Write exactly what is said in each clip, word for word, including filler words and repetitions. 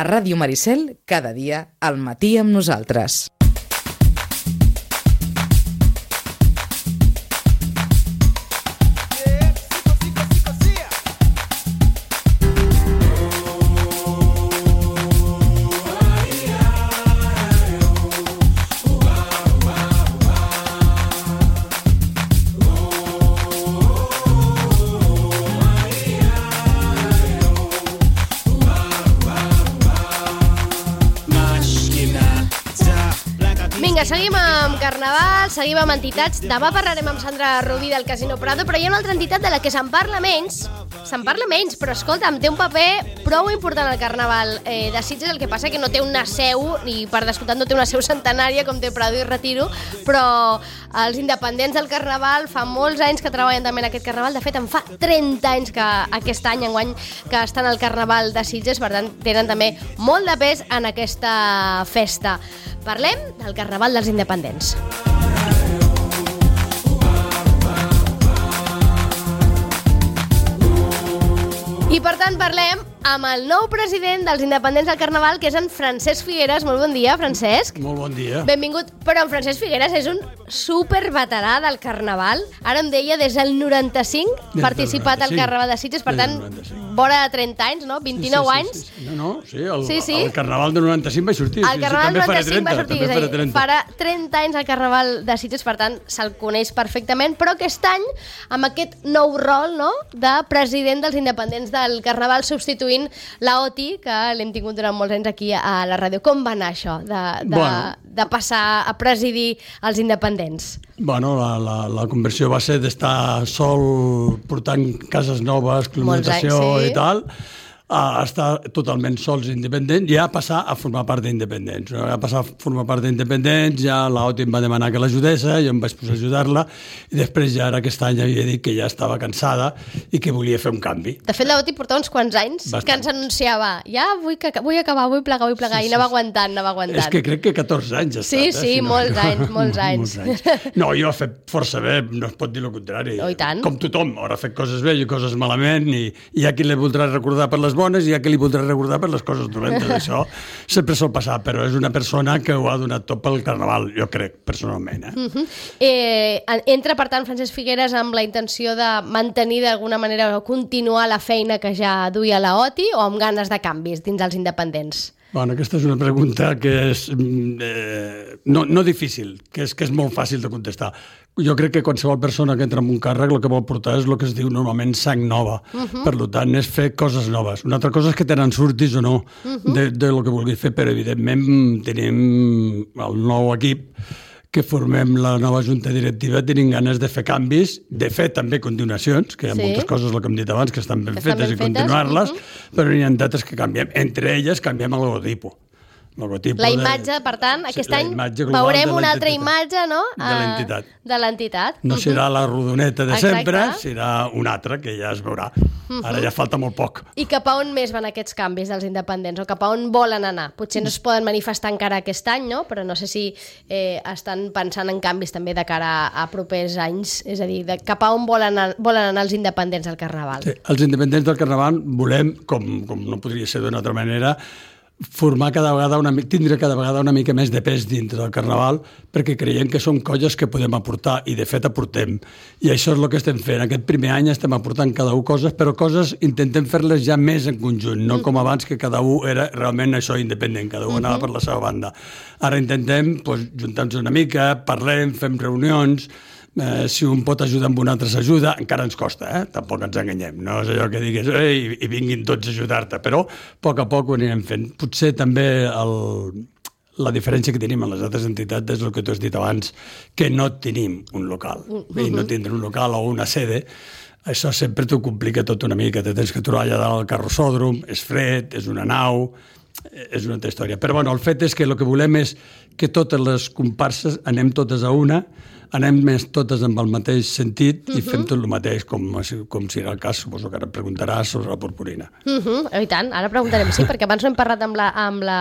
A Ràdio Maricel, cada dia, al matí amb nosaltres. Seguim amb Carnaval, seguim amb entitats. Demà parlarem amb Sandra Rubí del Casino Prado, però hi ha una altra entitat de la que se'n parla menys. Se'n parla menys, però escolta'm, té un paper prou important al Carnaval eh, de Sitges. El que passa que no té una seu, i per descomptat no té una seu centenària com té Prado i Retiro, però els independents del Carnaval fa molts anys que treballen també en aquest Carnaval. De fet, en fa trenta anys que aquest any, enguany, que estan al Carnaval de Sitges, per tant, tenen també molt de pes en aquesta festa. Parlem del Carnaval dels Independents. I per tant parlem amb el nou president dels Independents del Carnaval, que és en Francesc Figueres. Molt bon dia, Francesc. Molt bon dia. Benvingut. Però en Francesc Figueres és un superveterà del Carnaval. Ara em deia des del noranta-cinc, des participat al Carnaval de Sitges, per tant, vora de trenta anys, no? vint-i-nou sí, sí, anys. Sí, sí. No, no, sí, el, sí, sí. el Carnaval de noranta-cinc va sortir. El Carnaval de noranta-cinc va sortir, és a dir, farà trenta anys el Carnaval de Sitges, per tant, se'l coneix perfectament, però aquest any, amb aquest nou rol, no?, de president dels Independents del Carnaval, substituint la Oti, que l'hem tingut durant molts anys aquí a la ràdio. Com va anar això, de, de, bueno. de passar a presidir els independents? Bueno, la, la, la conversió va ser d'estar sol portant cases noves, climatació anys, sí. i tal, a estar totalment sols independents, i a passar a formar part d'independents. A passar a formar part d'independents, ja l'Oti em va demanar que l'ajudés, jo em vaig posar a ajudar-la, i després ja ara aquest any havia dit que ja estava cansada i que volia fer un canvi. De fet, l'Oti portava uns quants anys Bastant. que ens anunciava, ja vull, que, vull acabar, vull plegar, vull plegar, sí, i anava sí, aguantant, anava aguantant. És que crec que catorze anys ha estat. Sí, eh? sí, si no, molts anys, molts anys. molts anys. No, jo he fet força bé, no es pot dir el contrari. Oh, i tant. Com tothom, haurà fet coses bé i coses malament, i hi ha qui li voldrà recordar per les bones i hi ha qui li voldrà recordar per les coses dolentes. Això sempre sol passar, però és una persona que ho ha donat tot pel Carnaval, jo crec, personalment. Eh? Uh-huh. eh, entra, per tant, Francesc Figueres amb la intenció de mantenir d'alguna manera o continuar la feina que ja duia la Oti, o amb ganes de canvis dins els independents? Bueno, aquesta és una pregunta que és eh, no, no difícil, que és, que és molt fàcil de contestar. Jo crec que qualsevol persona que entra en un càrrec el que vol portar és el que es diu normalment sang nova. Uh-huh. Per tant, és fer coses noves. Una altra cosa és que tenen surtis o no uh-huh. de, de lo que vulguis fer, però evidentment tenim el nou equip que formem la nova junta directiva, tenim ganes de fer canvis, de fer també continuacions, que hi ha sí. moltes coses, el que hem dit abans, que estan ben que fetes estan ben i continuar-les, uh-huh. però n'hi ha d'altres que canviem. Entre elles canviem el logotipo. La imatge, de, per tant, aquest sí, any veurem una altra imatge, no?, de l'entitat. De l'entitat. No uh-huh. serà la rodoneta de Exacte. sempre, serà una altra que ja es veurà. Uh-huh. Ara ja falta molt poc. I cap a on més van aquests canvis dels independents, o cap a on volen anar? Potser no es poden manifestar encara aquest any, no?, però no sé si eh, estan pensant en canvis també de cara a, a propers anys, és a dir, de cap a on volen anar, volen anar els independents del Carnaval. Sí, els independents del Carnaval volem, com, com no podria ser d'una altra manera, formar cada vegada una, tindre cada vegada una mica més de pes dintre del Carnaval, perquè creiem que són colles que podem aportar, i de fet aportem. I això és el que estem fent. Aquest primer any estem aportant cada un coses, però coses intentem fer-les ja més en conjunt, no com abans, que cada un era realment això independent, cada un anava per la seva banda. Ara intentem pues, juntar-nos una mica, parlem, fem reunions. Eh, si un pot ajudar amb un altre s'ajuda, encara ens costa, eh? Tampoc ens enganyem, no és allò que digues ei, i vinguin tots a ajudar-te, però a poc a poc ho anirem fent. Potser també el, la diferència que tenim en les altres entitats és el que tu has dit abans, que no tenim un local, uh-huh. i no tindre un local o una sede, això sempre t'ho complica tot una mica, te tens que trobar allà dalt al carrossòdrom, és fred, és una nau, és una altra història. Però bueno, el fet és que el que volem és que totes les comparses anem totes a una, anem més totes amb el mateix sentit i uh-huh. fem tot el mateix, com, com si era el cas, suposo que ara et preguntaràs sobre la purpurina. Uh-huh. I tant, ara preguntarem, sí, perquè abans no hem parlat amb la, amb la,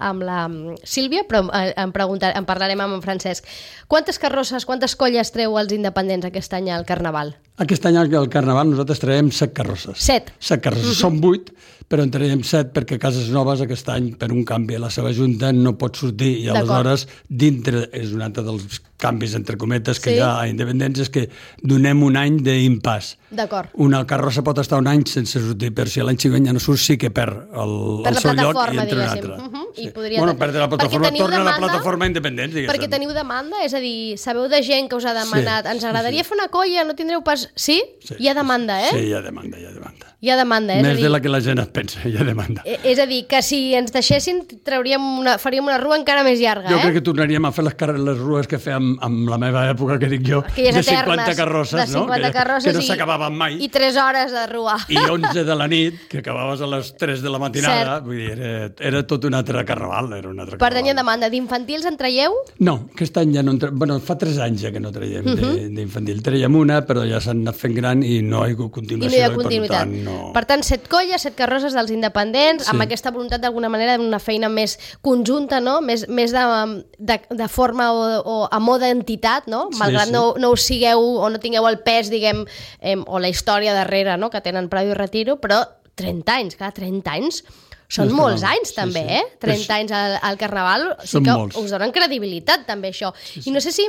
amb la Sílvia, però en, preguntar, en parlarem amb en Francesc. Quantes carrosses, quantes colles treu els independents aquest any al Carnaval? Aquest any al Carnaval nosaltres traiem set carrosses. Set? Set carrosses. Uh-huh. Són vuit, però en traiem set perquè Cases Noves aquest any, per un canvi a la seva junta, no pot sortir i aleshores dintre, és un altre dels canvis entre cometes que sí. hi ha a Independents, és que donem un any d'impàs. D'acord. Una carrossa pot estar un any sense sortir, però si l'any següent ja no surt sí que perd el, per el seu lloc i entra un altre. Uh -huh. sí. I podria... Bueno, perd la plataforma, torna demanda, a la plataforma Independents, diguéssim. Perquè teniu demanda? És a dir, sabeu de gent que us ha demanat, sí, ens agradaria sí. fer una colla, no tindreu pas... Sí? sí? Hi ha demanda, eh? Sí, hi ha demanda, hi ha demanda. Hi ha demanda, eh? Més de la que la gent es pensa, hi ha demanda. És a dir, que si ens deixessin, trauríem una, faríem una rua encara més llarga, jo eh? crec que tornaríem a fer les, les rues que fèiem amb la meva època, que dic jo, de cinquanta carrosses, de cinquanta no? carrosses que, que no s'acabaven mai. I tres hores de rua. I onze de la nit, que acabaves a les tres de la matinada, vull dir, era, era tot un altre carnaval, era un altre per carnaval. tant, hi ha demanda. D'infantils en traieu? No, aquest any ja no en traiem. Bueno, fa tres anys ja que no traiem uh -huh. d'infantil. Traiem una, però ja s'han anat fent gran i no hi ha hagut continuació. I no hi ha continuïtat. Per tant, no... per tant, set colles, set carrosses dels independents, sí. amb aquesta voluntat d'alguna manera d'una feina més conjunta, no? Més, més de, de, de forma o, o a moda entitat, no? Malgrat sí, sí. no, no us sigueu o no tingueu el pes, diguem, eh, o la història darrere, no? Que tenen Prado i Retiro, però trenta anys, clar, trenta anys són no, molts anys, sí, també, sí. eh? trenta anys al, al Carnaval, sí que molts. Us donen credibilitat, també, això. Sí, sí. I no sé si,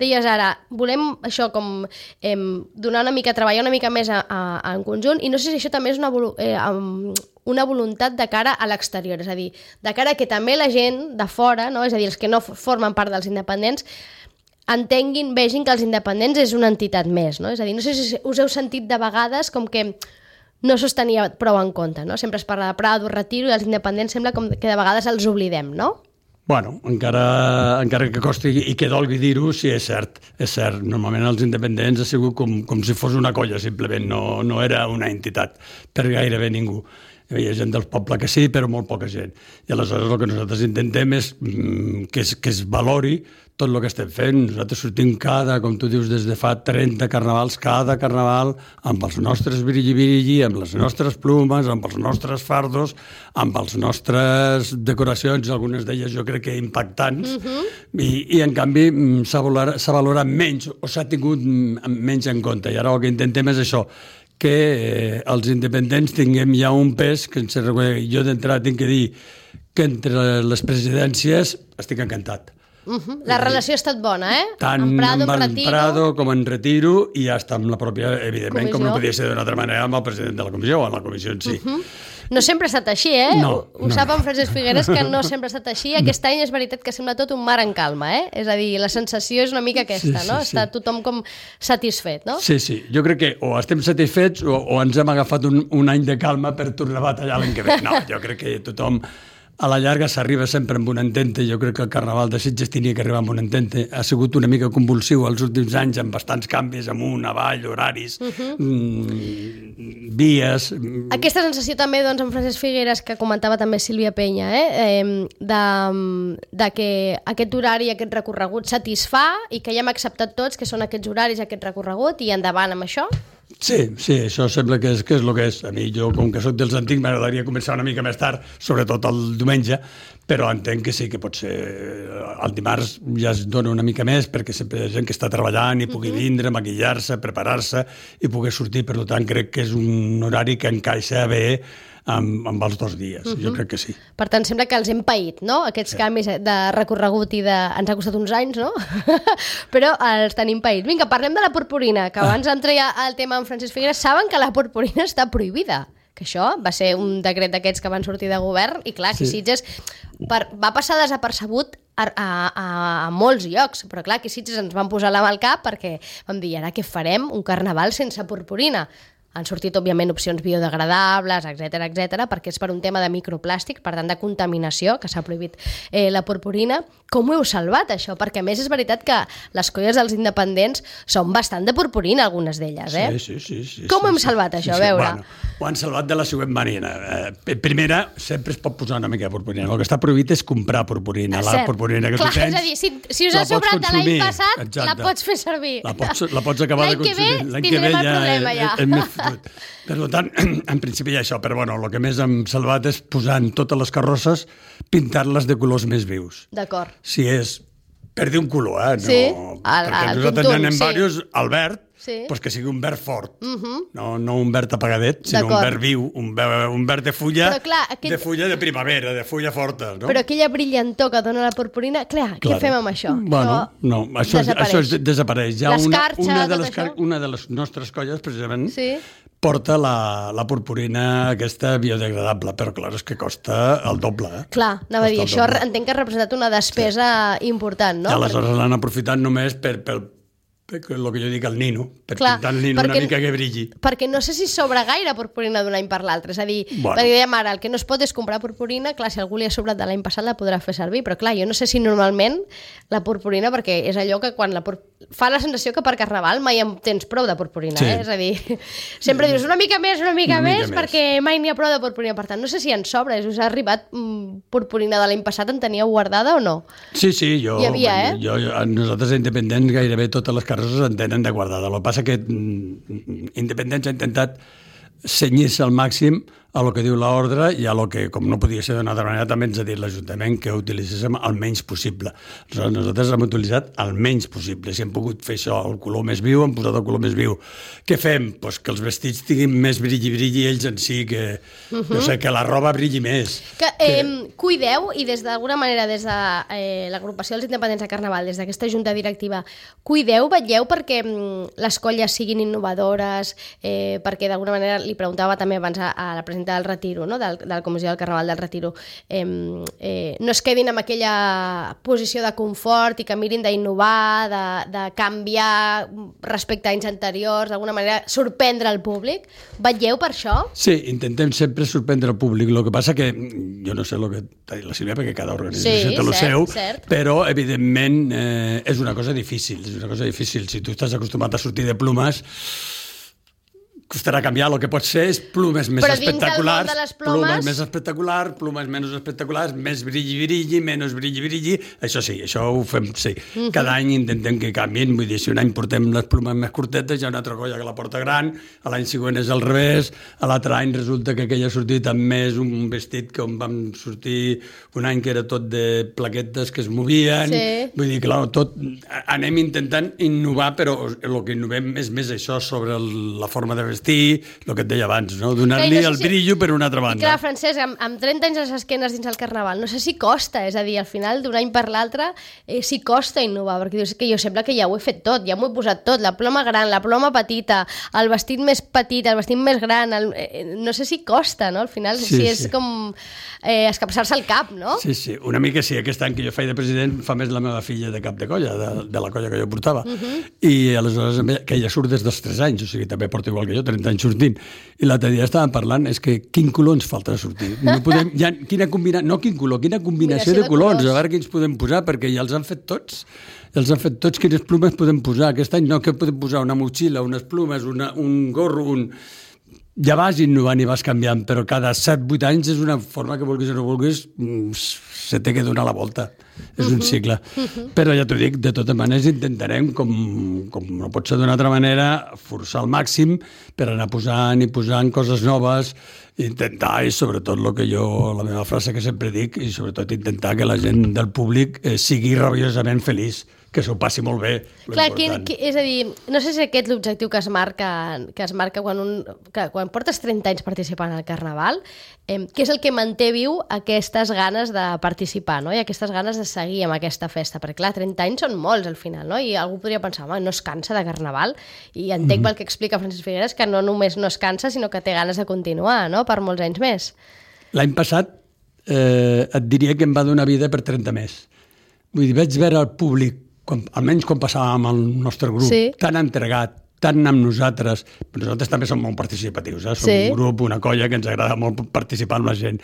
deies ara, volem això com eh, donar una mica, treballar una mica més a, a, en conjunt, i no sé si això també és una, eh, una voluntat de cara a l'exterior, és a dir, de cara a que també la gent de fora, no? És a dir, els que no formen part dels independents, entenguin, vegin que els independents és una entitat més, no? És a dir, no sé si us heu sentit de vegades com que no s'ho tenia prou en compte, no? Sempre es parla de Prado, Retiro, i els independents sembla com que de vegades els oblidem, no? Bueno, encara, encara que costi i que dolgui dir-ho, sí, és cert, és cert. Normalment els independents ha sigut com, com si fos una colla, simplement, no, no era una entitat per gairebé ningú. Hi havia gent del poble que sí, però molt poca gent. I aleshores el que nosaltres intentem és mm, que, es, que es valori tot el que estem fent. Nosaltres sortim cada, com tu dius, des de fa trenta carnavals, cada carnaval, amb els nostres virilli-virilli, amb les nostres plumes, amb els nostres fardos, amb les nostres decoracions, algunes d'elles jo crec que impactants, uh-huh. i, i en canvi s'ha valorat, s'ha valorat menys, o s'ha tingut menys en compte. I ara el que intentem és això, que eh, els independents tinguem ja un pes que ens reconeix. Jo d'entrada tinc que dir que entre les presidències estic encantat. Uh-huh. La relació ha estat bona, eh? Tant en Prado, amb el Retiro. Prado com en Retiro i hasta amb la pròpia, evidentment, comissió. Com no podia ser d'una altra manera, amb el president de la comissió o amb la comissió en si. Uh-huh. No sempre ha estat així, eh? No, ho ho no, sap no. en Francesc Figueres que no sempre ha estat així. Aquest any és veritat que sembla tot un mar en calma, eh? És a dir, la sensació és una mica aquesta, sí, sí, no? sí. Està tothom com satisfet, no? Sí, sí. Jo crec que o estem satisfets o, o ens hem agafat un, un any de calma per tornar a batallar l'any que ve. No, jo crec que tothom... A la llarga s'arriba sempre amb un entente. Jo crec que el Carnaval de Sitges tenia que arribar amb un entente. Ha sigut una mica convulsiu els últims anys, amb bastants canvis, amunt, avall, horaris, uh-huh. mm, vies... Aquesta sensació també, doncs, en Francesc Figueres, que comentava també Sílvia Penya, eh? eh de, de que aquest horari, aquest recorregut satisfà i que ja hem acceptat tots que són aquests horaris, aquest recorregut, i endavant amb això? Sí, sí, això sembla que és, que és el que és. A mi, jo, com que soc dels antics, m'agradaria començar una mica més tard, sobretot el diumenge, però entenc que sí, que pot ser... El dimarts ja es dona una mica més, perquè sempre hi ha gent que està treballant i pugui vindre, maquillar-se, preparar-se i pugui sortir. Per tant, crec que és un horari que encaixa bé amb, amb els dos dies. Uh-huh. Jo crec que sí. Per tant, sembla que els hem paït, no? Aquests sí. canvis de recorregut i de... Ens ha costat uns anys, no? Però els tenim païts. Vinga, parlem de la purpurina, que abans em treia el tema amb Francesc Figueres. Saben que la purpurina està prohibida. Que això va ser un decret d'aquests que van sortir de govern i clar, aquí sí. Sitges per, va passar desapercebut a, a, a, a molts llocs, però clar, aquí Sitges ens van posar la mà al cap perquè vam dir, ara què farem? Un carnaval sense purpurina. Han sortit, òbviament, opcions biodegradables, etcètera, etcètera, perquè és per un tema de microplàstic, per tant, de contaminació, que s'ha prohibit eh, la purpurina. Com ho heu salvat, això? Perquè, a més, és veritat que les colles dels independents són bastant de purpurina, algunes d'elles, eh? Sí, sí, sí. sí Com sí, ho hem sí, salvat, sí, això? Sí, A veure... Bueno, ho han salvat de la següent manera. Eh, primera, sempre es pot posar una mica de purpurina. El que està prohibit és comprar purpurina. La purpurina que clar, tu tens... És a dir, si, si us ha sobrat de l'any passat, exacte. La pots fer servir. La pots, la pots acabar de consumir. L'any que ve tindrem el problema, ja. És més fotut. Per tant, en principi hi ha això, però bueno, el que més hem salvat és posar en totes les carrosses, pintar-les de colors més vius. D'acord. Si és per dir un color, eh? No, sí, perquè el, el nosaltres tuntun, n'anem sí. diversos, el verd, sí. pues que sigui un verd fort, uh-huh. no, no un verd apagadet, sinó un verd viu, un verd, un verd de fulla, Però, clar, aquell... de fulla de primavera, de fulla forta. No? Però aquella brillantor que dona la purpurina, clar, clar. Què fem amb això? Bueno, això no, això, desapareix. això es desapareix. Ja les una, carxes, una, de les, tot això? una de les nostres colles, precisament, sí. porta la, la purpurina aquesta biodegradable, però clar, és que costa el doble. Eh? Clar, anava a dir, això entenc que ha representat una despesa sí. important, no? I aleshores Perquè... l'han aprofitat només per, per, per el que jo dic, el nino, per clar, pintar el nino perquè, una mica que brilli. Perquè no sé si sobra gaire purpurina d'un any per l'altre, és a dir, bueno. perquè dèiem ara, el que no es pot és comprar purpurina, clar, si algú li ha sobrat de l'any passat la podrà fer servir, però clar, jo no sé si normalment la purpurina, perquè és allò que quan la pur... fa la sensació que per Carnaval mai en tens prou de purpurina, sí. eh? És a dir, sempre dius una mica més, una mica, una mica més, més, perquè mai n'hi ha prou de purpurina, per tant, no sé si en sobra, us ha arribat mm, purpurina de l'any passat, en teníeu guardada o no? Sí, sí, jo, Hi havia, eh? jo, jo nosaltres independents gairebé totes les carrosses en tenen de guardada. El que passa que mm, Independents ha intentat cenyir-se al màxim a lo que diu l'ordre i a lo que, com no podia ser d'una altra manera, també ens ha dit l'Ajuntament que utilitzéssim el menys possible. Aleshores, nosaltres hem utilitzat el menys possible. Si hem pogut fer això, el color més viu, hem posat el color més viu. Què fem? Pues que els vestits tinguin més brilli-brilli ells en si, que, uh -huh. no sé, que la roba brilli més. Que, eh, que... Cuideu, i des d'alguna manera, des de eh, l'agrupació dels independents de Carnaval, des d'aquesta junta directiva, cuideu, vetlleu perquè mm, les colles siguin innovadores, eh, perquè d'alguna manera, li preguntava també abans a, a la presidenta del Retiro, no? del, de la Comissió del Carnaval del Retiro, eh, eh, no es quedin amb aquella posició de confort i que mirin d'innovar, de, de canviar respecte a anys anteriors, d'alguna manera sorprendre el públic. Vetlleu per això? Sí, intentem sempre sorprendre el públic. El que passa que, jo no sé el que t'ha dit la Sílvia, perquè cada organització sí, té el cert, seu, cert. però evidentment eh, és una cosa difícil, és una cosa difícil. Si tu estàs acostumat a sortir de plumes, costarà canviar. El que pot ser és plumes més Però espectaculars, de les plomes... plumes més espectaculars, plumes menys espectaculars, més brilli-brilli, menys brilli-brilli. Això sí, això ho fem, sí. Uh-huh. Cada any intentem que canviïn. Vull dir, si un any portem les plumes més curtetes, hi ha una altra colla que la porta gran, a l'any següent és al revés, a l'altre any resulta que aquell ha sortit amb més un vestit que on vam sortir un any que era tot de plaquetes que es movien. Sí. Vull dir, clar, tot anem intentant innovar, però el que innovem és més això sobre el, la forma de vestir, vestir, el que et deia abans, no? Donar-li no sé el si... brillo per una altra banda. I clar, Francesc, amb, amb trenta anys a les esquenes dins el Carnaval, no sé si costa, és a dir, al final d'un any per l'altre, eh, si costa innovar, perquè dius que jo sembla que ja ho he fet tot, ja m'ho he posat tot, la ploma gran, la ploma petita, el vestit més petit, el vestit més gran, el, eh, no sé si costa, no? Al final, sí, si és sí. com eh, escapçar-se el cap, no? Sí, sí, una mica sí. Aquest any que jo faig de president fa més la meva filla de cap de colla, de, de la colla que jo portava, uh -huh. i aleshores que ella surt des dels tres anys, o sigui, també porta igual que jo, trenta anys sortint, i l'altre dia estàvem parlant, és que quin color ens falta de sortir? No podem, ja, quina combina... No quin color, quina combinació, combinació de, de colors, colors, a veure quins podem posar, perquè ja els han fet tots, ja els han fet tots, quines plumes podem posar. Aquest any no, que podem posar? Una motxilla, unes plumes, una, un gorro, un... Ja vas innovant i vas canviant, però cada set vuit anys és una forma que vulguis o no vulguis, se té que donar la volta. És un cicle. Però ja t'ho dic, de totes maneres intentarem, com, com no pot ser d'una altra manera, forçar al màxim per anar posant i posant coses noves, intentar, i sobretot el que jo, la meva frase que sempre dic, i sobretot intentar que la gent del públic eh, sigui rabiosament feliç, que s'ho passi molt bé. Clar, que, que, és a dir, no sé si aquest és l'objectiu que es marca, que es marca quan, un, que, quan portes trenta anys participant al Carnaval, eh, que és el que manté viu aquestes ganes de participar, no? I aquestes ganes de seguir amb aquesta festa, perquè clar, trenta anys són molts al final, no? I algú podria pensar, home, no es cansa de Carnaval, i entenc mm. el que explica Francesc Figueres, que no només no es cansa, sinó que té ganes de continuar, no?, per molts anys més. L'any passat eh, et diria que em va donar vida per trenta més. Vull dir, vaig veure el públic, quan, almenys quan passàvem al nostre grup, sí. tan entregat, tant amb nosaltres, però nosaltres també som molt participatius, eh? Som sí. un grup, una colla que ens agrada molt participar amb la gent.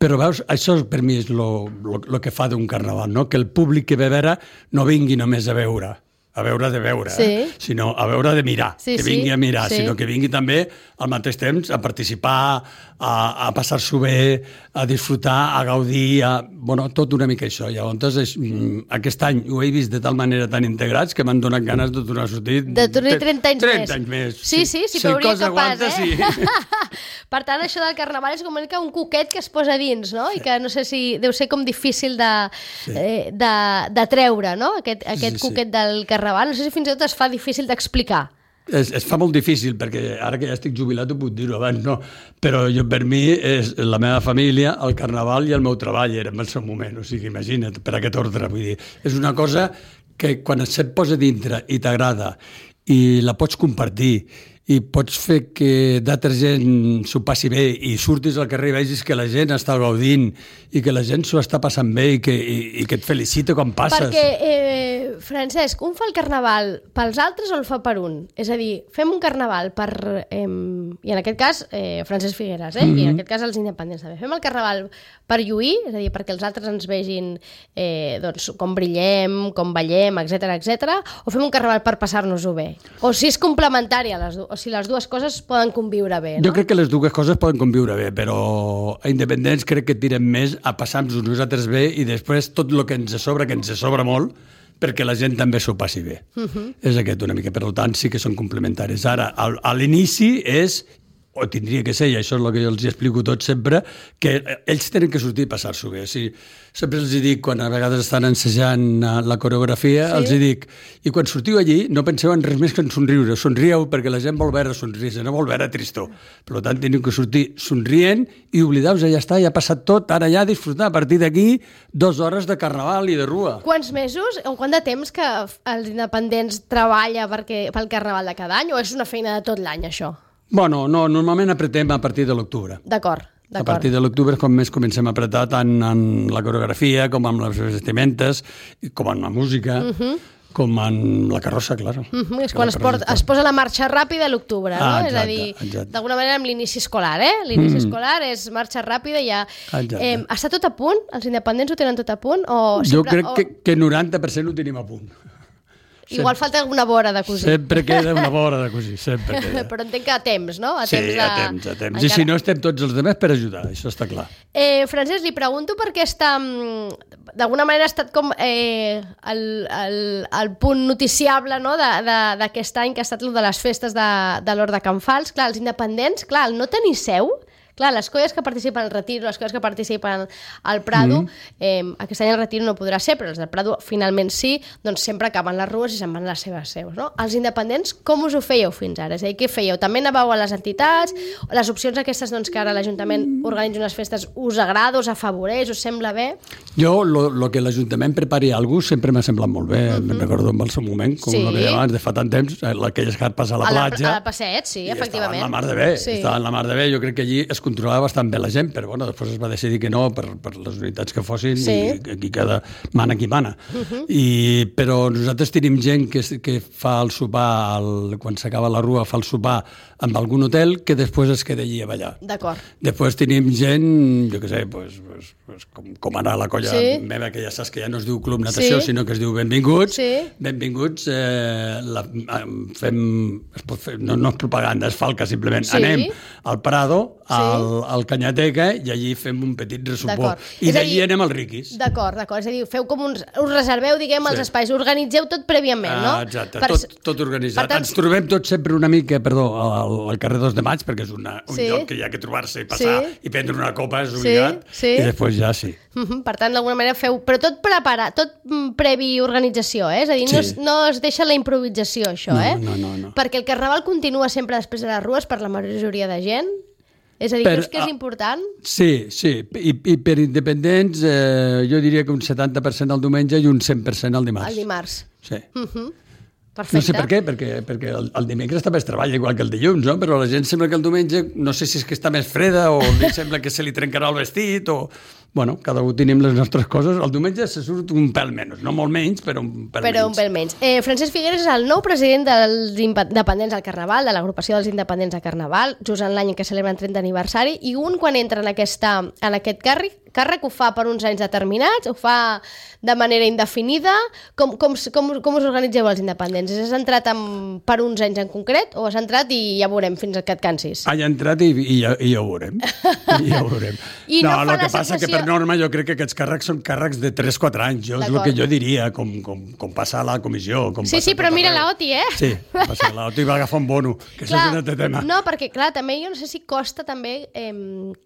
Però veus, això per mi és el que fa d'un carnaval, no? Que el públic que ve a veure no vingui només a veure, a veure de veure, sí. eh? sinó a veure de mirar, sí, que vingui sí. a mirar, sí. sinó que vingui també al mateix temps a participar, a, a passar-s'ho bé, a disfrutar, a gaudir, a, bueno, tot una mica això. Llavors, és, aquest any ho he vist de tal manera tan integrats que m'han donat ganes de tornar a sortir... De tornar trenta anys trenta més. anys més. Sí, sí, sí, si però hauria capaç, aguanta, eh? Sí. Per tant, això del Carnaval és com una mica un coquet que es posa dins, no? I que no sé si deu ser com difícil de, sí. eh, de, de treure, no? Aquest, aquest sí, sí, coquet sí. del Carnaval. No sé si fins i tot es fa difícil d'explicar. Es, es fa molt difícil, perquè ara que ja estic jubilat ho puc dir-ho, abans no, però jo per mi és la meva família, el carnaval i el meu treball era en el seu moment, o sigui, imagina't, per aquest ordre, vull dir, és una cosa que quan se't posa dintre i t'agrada i la pots compartir i pots fer que d'altra gent s'ho passi bé i surtis al carrer i vegis que la gent està gaudint i que la gent s'ho està passant bé i que, i, i que et felicita quan passes. Perquè, eh, Francesc, un fa el carnaval pels altres o el fa per un? És a dir, fem un carnaval per... Eh, i en aquest cas, eh, Francesc Figueres, eh? Mm-hmm. I en aquest cas els independents també. Fem el carnaval per lluir, és a dir, perquè els altres ens vegin eh, doncs, com brillem, com ballem, etcètera, etcètera, o fem un carnaval per passar-nos-ho bé? O si és complementari a les dues, o si les dues coses poden conviure bé, no? Jo crec que les dues coses poden conviure bé, però a independents crec que tirem més a passar-nos nosaltres bé i després tot el que ens sobra, que ens sobra molt, perquè la gent també s'ho passi bé. Uh-huh. És aquest una mica, per tant sí que són complementaris. Ara, al, a l'inici és, o tindria que ser, i això és el que jo els explico tot sempre, que ells tenen que sortir i passar-s'ho bé. O sigui, sempre els dic, quan a vegades estan ensejant la coreografia, sí? Els dic, i quan sortiu allí no penseu en res més que en somriure, somrieu perquè la gent vol veure somrisa, no vol veure tristor. Per tant, teniu que sortir somrient i oblideu-vos, ja està, ja ha passat tot, ara ja disfrutar a partir d'aquí dues hores de carnaval i de rua. Quants mesos o quant de temps que els independents treballa perquè, pel carnaval de cada any, o és una feina de tot l'any, això? Bueno, no, normalment apretem a partir de l'octubre. D'acord. A partir de l'octubre és quan més comencem a apretar tant en la coreografia com amb les vestimentes, com en la música, uh-huh. com en la carrossa, clar. Uh-huh. És quan es, port, es posa la marxa ràpida a l'octubre, no? Ah, exacte, és a dir, d'alguna manera amb l'inici escolar, eh? L'inici mm. escolar és marxa ràpida i ja... Eh, està tot a punt? Els independents ho tenen tot a punt? O sempre, jo crec o... que, que noranta per cent ho tenim a punt. Igual falta alguna vora de cosir. Sempre queda una vora de cosir, sempre queda. Però entenc que a temps, no? A sí, temps de... a temps, a temps. Encara... I si no, estem tots els demés per ajudar, això està clar. Eh, Francesc, li pregunto perquè està... D'alguna manera ha estat com eh, el, el, el punt noticiable, no?, d'aquest any, que ha estat el de les festes de, de l'Hort de Can Fals. Clar, els independents, clar, el no tenir seu... Clar, les colles que participen al Retiro, les colles que participen al Prado, mm. eh, aquest any el Retiro no podrà ser, però els del Prado finalment sí, doncs sempre acaben les rues i se'n van a les seves seus, no? Els independents, com us ho fèieu fins ara? És a dir, què fèieu? També anàveu a les entitats? Les opcions aquestes, doncs, que ara l'Ajuntament organitza unes festes, us agrada, us afavoreix, us sembla bé? Jo, lo que l'Ajuntament prepari alguna cosa sempre m'ha semblat molt bé. Mm-hmm. Me'n recordo en el seu moment, com sí. el que abans, de fa tant temps, aquelles carpes a la a platja. A la passeig, sí, efectivament. Estava en la mar de bé, sí. estava en la mar de bé. Jo crec que allí es controlava bastant bé la gent, però bueno, després es va decidir que no per, per les unitats que fossin sí. i aquí cada mana qui mana. Uh-huh. I, però nosaltres tenim gent que, que fa el sopar, el, quan s'acaba la rua, fa el sopar amb algun hotel que després es queda allí a ballar. D'acord. Després tenim gent, jo què sé, pues, pues, pues, com, com ara la colla sí. meva, que ja saps que ja no es diu Club Natació, sí. sinó que es diu Benvinguts. Sí. Benvinguts, eh, la, fem, es pot fer, no, no és propaganda, és falca, simplement. Sí. Anem al Prado, al, sí. al Canyateca, i allí fem un petit resopó. I d'allí anem al Riquis. D'acord, d'acord. És a dir, feu com uns... Us reserveu, diguem, els sí. espais, organitzeu tot prèviament, no? Ah, exacte, per... tot, tot organitzat. Tant... Ens trobem tots sempre una mica, perdó, al, al carrer dos de maig, perquè és una, un sí. lloc que hi ha que trobar-se i passar sí. i prendre una copa, és obligat, sí. Sí. i després ja sí. Uh-huh. Per tant, d'alguna manera feu... Però tot preparat, tot previ organització, eh? És a dir, sí. no, es, no es deixa la improvisació, això, no, eh? No, no, no. Perquè el carnaval continua sempre després de les rues per la majoria de gent. És a dir, per, creus que és important? Sí, sí. I, i per independents, eh, jo diria que un setanta per cent el diumenge i un cent per cent el dimarts. El dimarts. Sí. Uh-huh. Perfecte. No sé per què, perquè, perquè el, el dimecres també es treballa igual que el dilluns, no? Però la gent sembla que el diumenge, no sé si és que està més freda o li sembla que se li trencarà el vestit o... Bueno, cada un tenim les nostres coses. El diumenge se surt un pèl menys, no molt menys, però un pèl però menys. Però un pèl menys. Eh, Francesc Figueres és el nou president dels independents al Carnaval, de l'agrupació dels independents al Carnaval, just en l'any en què celebren trenta aniversari, i un quan entra en, aquesta, en aquest càrrec, càrrec ho fa per uns anys determinats, ho fa de manera indefinida. Com, com, com, com us organitzeu els independents? Has entrat en, per uns anys en concret o has entrat i ja veurem fins que et cansis? Ha entrat i, i, ja, i ja ho veurem. I ja ho veurem. I no, no fa la sensació... Que per norma jo crec que aquests càrrecs són càrrecs de tres quatre anys. Jo és el que jo diria, com, com, com passa a la comissió. Com sí, sí, però mira la O T I, eh? Sí, passa la O T I va agafar un bono, que clar, això és un altre tema. No, perquè clar, també jo no sé si costa també eh,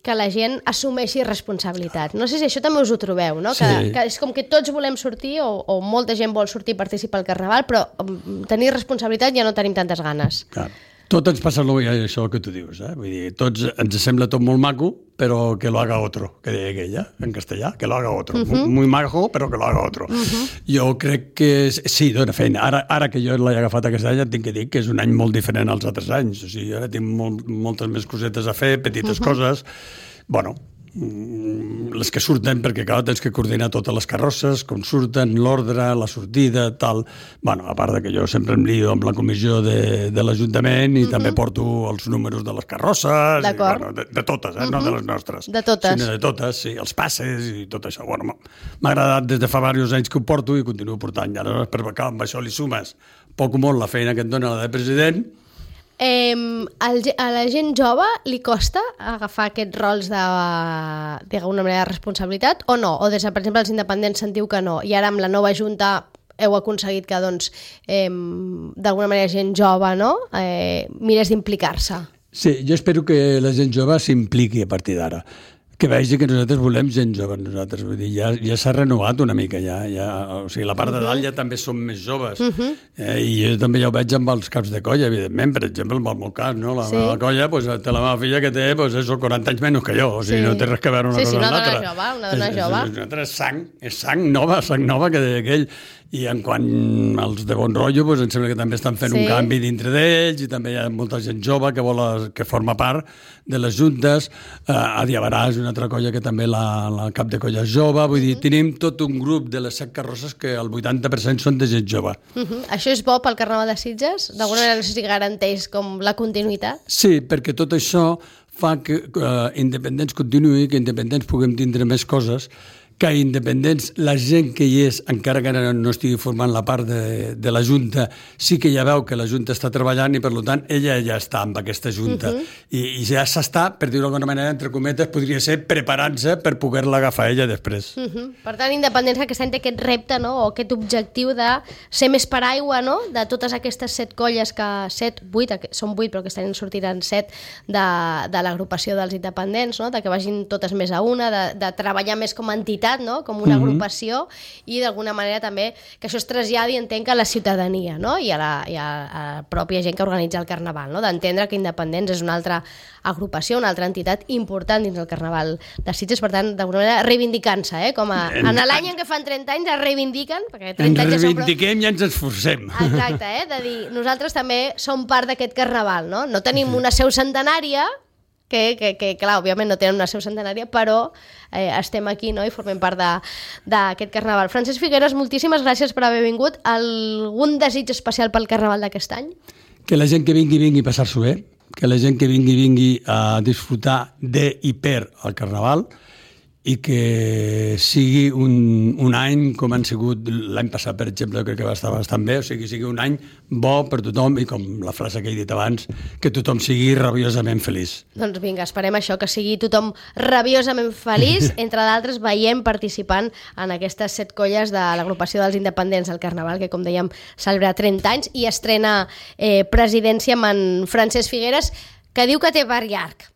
que la gent assumeixi responsabilitat. No sé si això també us ho trobeu, no? Que, sí. que és com que tots volem sortir o, o molta gent vol sortir i participar al Carnaval, però um, tenir responsabilitat ja no tenim tantes ganes. Clar. Tot ens passa això que tu dius, eh? Vull dir, tots ens sembla tot molt maco, però que lo haga otro, que deia aquella, en castellà, que lo haga otro. Uh -huh. Muy maco, però que lo haga otro. Uh -huh. Jo crec que sí, dona feina. Ara, ara que jo l'he agafat aquest any, et tinc que dir que és un any molt diferent als altres anys. O sigui, ara tinc molt, moltes més cosetes a fer, petites uh -huh. coses. Bueno, les que surten, perquè clar, tens que coordinar totes les carrosses, com surten, l'ordre, la sortida, tal. Bueno, a part de que jo sempre em lio amb la comissió de, de l'Ajuntament i uh-huh. també porto els números de les carrosses, i, bueno, de, de totes, eh? uh-huh. no de les nostres. De totes. Sinó de totes, sí, els passes i tot això. Bueno, m'ha agradat des de fa diversos anys que ho porto i continuo portant. I ara, per clar, amb això li sumes poc o molt la feina que et dona la de president. Eh, a la gent jove li costa agafar aquests rols de, d'alguna manera, de responsabilitat o no? O des de, per exemple, els independents sentiu que no, i ara amb la nova junta heu aconseguit que, doncs, eh, d'alguna manera gent jove, no?, eh, mirés d'implicar-se. Sí, jo espero que la gent jove s'impliqui a partir d'ara. Que vegi que nosaltres volem gent jove, nosaltres. Vull dir, ja, ja s'ha renovat una mica, ja, ja, o sigui, la part de dalt ja també som més joves. Uh -huh. eh, I jo també ja ho veig amb els caps de colla, evidentment, per exemple, amb el meu cas, no? La sí. meva colla, pues, té la meva filla que té, pues, eso, quaranta anys menys que jo, o sigui, sí. no té res que veure una sí, cosa sí, amb l'altra. Sí, sí, una dona jove, una dona jove. És, és, és, és sang, és sang nova, sang nova que deia aquell. I en quant als de bon rotllo, pues, em sembla que també estan fent sí. un canvi dintre d'ells i també hi ha molta gent jove que vol que forma part de les juntes. Eh, a Diabarà és una altra colla que també la, la cap de colla és jove. Vull dir, tenim tot un grup de les set carrosses que el vuitanta per cent són de gent jove. Uh -huh. Això és bo pel Carnaval de Sitges? D'alguna manera no sé si garanteix com la continuïtat? Sí, perquè tot això fa que uh, Independents continuï, que Independents puguem tindre més coses, que Independents, la gent que hi és, encara que no estigui formant la part de, de la Junta, sí que ja veu que la Junta està treballant i, per tant, ella ja està amb aquesta Junta. Uh -huh. I, I ja s'està, per dir-ho d'alguna manera, entre cometes, podria ser preparant-se per poder-la agafar ella després. Uh -huh. Per tant, Independents aquest any té aquest repte, no?, o aquest objectiu de ser més paraigua, no?, de totes aquestes set colles que... set, vuit, són vuit, però aquest any en sortiran set de, de l'agrupació dels independents, no?, de que vagin totes més a una, de, de treballar més com a entitat, no?, com una agrupació, uh-huh. i d'alguna manera també que això es traslladi, entenc, a la ciutadania, no?, i a la, i a, a la pròpia gent que organitza el Carnaval, no?, d'entendre que Independents és una altra agrupació, una altra entitat important dins del Carnaval de Sitges, per tant, d'alguna manera reivindicant-se, eh?, com a, en, en l'any en què fan trenta anys es reivindiquen, perquè trenta anys ens reivindiquem ja i ens esforcem. Exacte, eh?, de dir, nosaltres també som part d'aquest Carnaval, no?, no tenim una seu centenària, Que, que, que, clar, òbviament no tenen una seu centenària, però eh, estem aquí, no?, i formem part d'aquest Carnaval. Francesc Figueres, moltíssimes gràcies per haver vingut. Algun desig especial pel Carnaval d'aquest any? Que la gent que vingui, vingui a passar-s'ho bé, que la gent que vingui, vingui a disfrutar de i per el Carnaval, i que sigui un, un any com han sigut l'any passat, per exemple, crec que va estar bastant bé, o sigui, sigui un any bo per tothom i, com la frase que he dit abans, que tothom sigui rabiosament feliç. Doncs vinga, esperem això, que sigui tothom rabiosament feliç, entre d'altres veiem participant en aquestes set colles de l'agrupació dels independents del Carnaval, que, com dèiem, celebra trenta anys i estrena eh, presidència amb en Francesc Figueres, que diu que té bar llarg.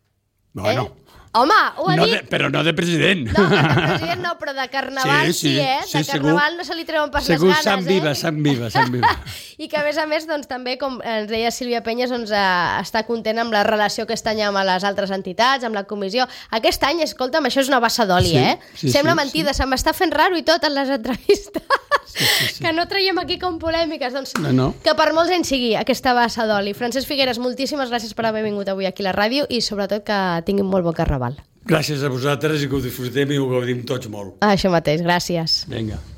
Bueno... Eh? Home, ho ha no dit... De, però no de president. No, de president no, però de Carnaval sí, sí, sí eh? De sí, Carnaval segur, no se li treuen pas les ganes, sang viva, eh? sang viva, sang viva. I que, a més a més, doncs, també, com ens deia Sílvia Penyes, doncs, eh, està content amb la relació aquest any amb les altres entitats, amb la comissió. Aquest any, escolta'm, això és una bassa d'oli, sí, eh? Sí, Sembla sí, mentida, sí. Se m'està fent raro i tot en les entrevistes. Sí, sí, sí. Que no traiem aquí com polèmiques, doncs no, no. Que per molts anys sigui aquesta bassa d'oli. Francesc Figueres, moltíssimes gràcies per haver vingut avui aquí a la ràdio i sobretot que tinguin molt bon Carnaval. Gràcies a vosaltres i que ho disfrutem i ho gaudim tots molt. Això mateix, gràcies. Vinga.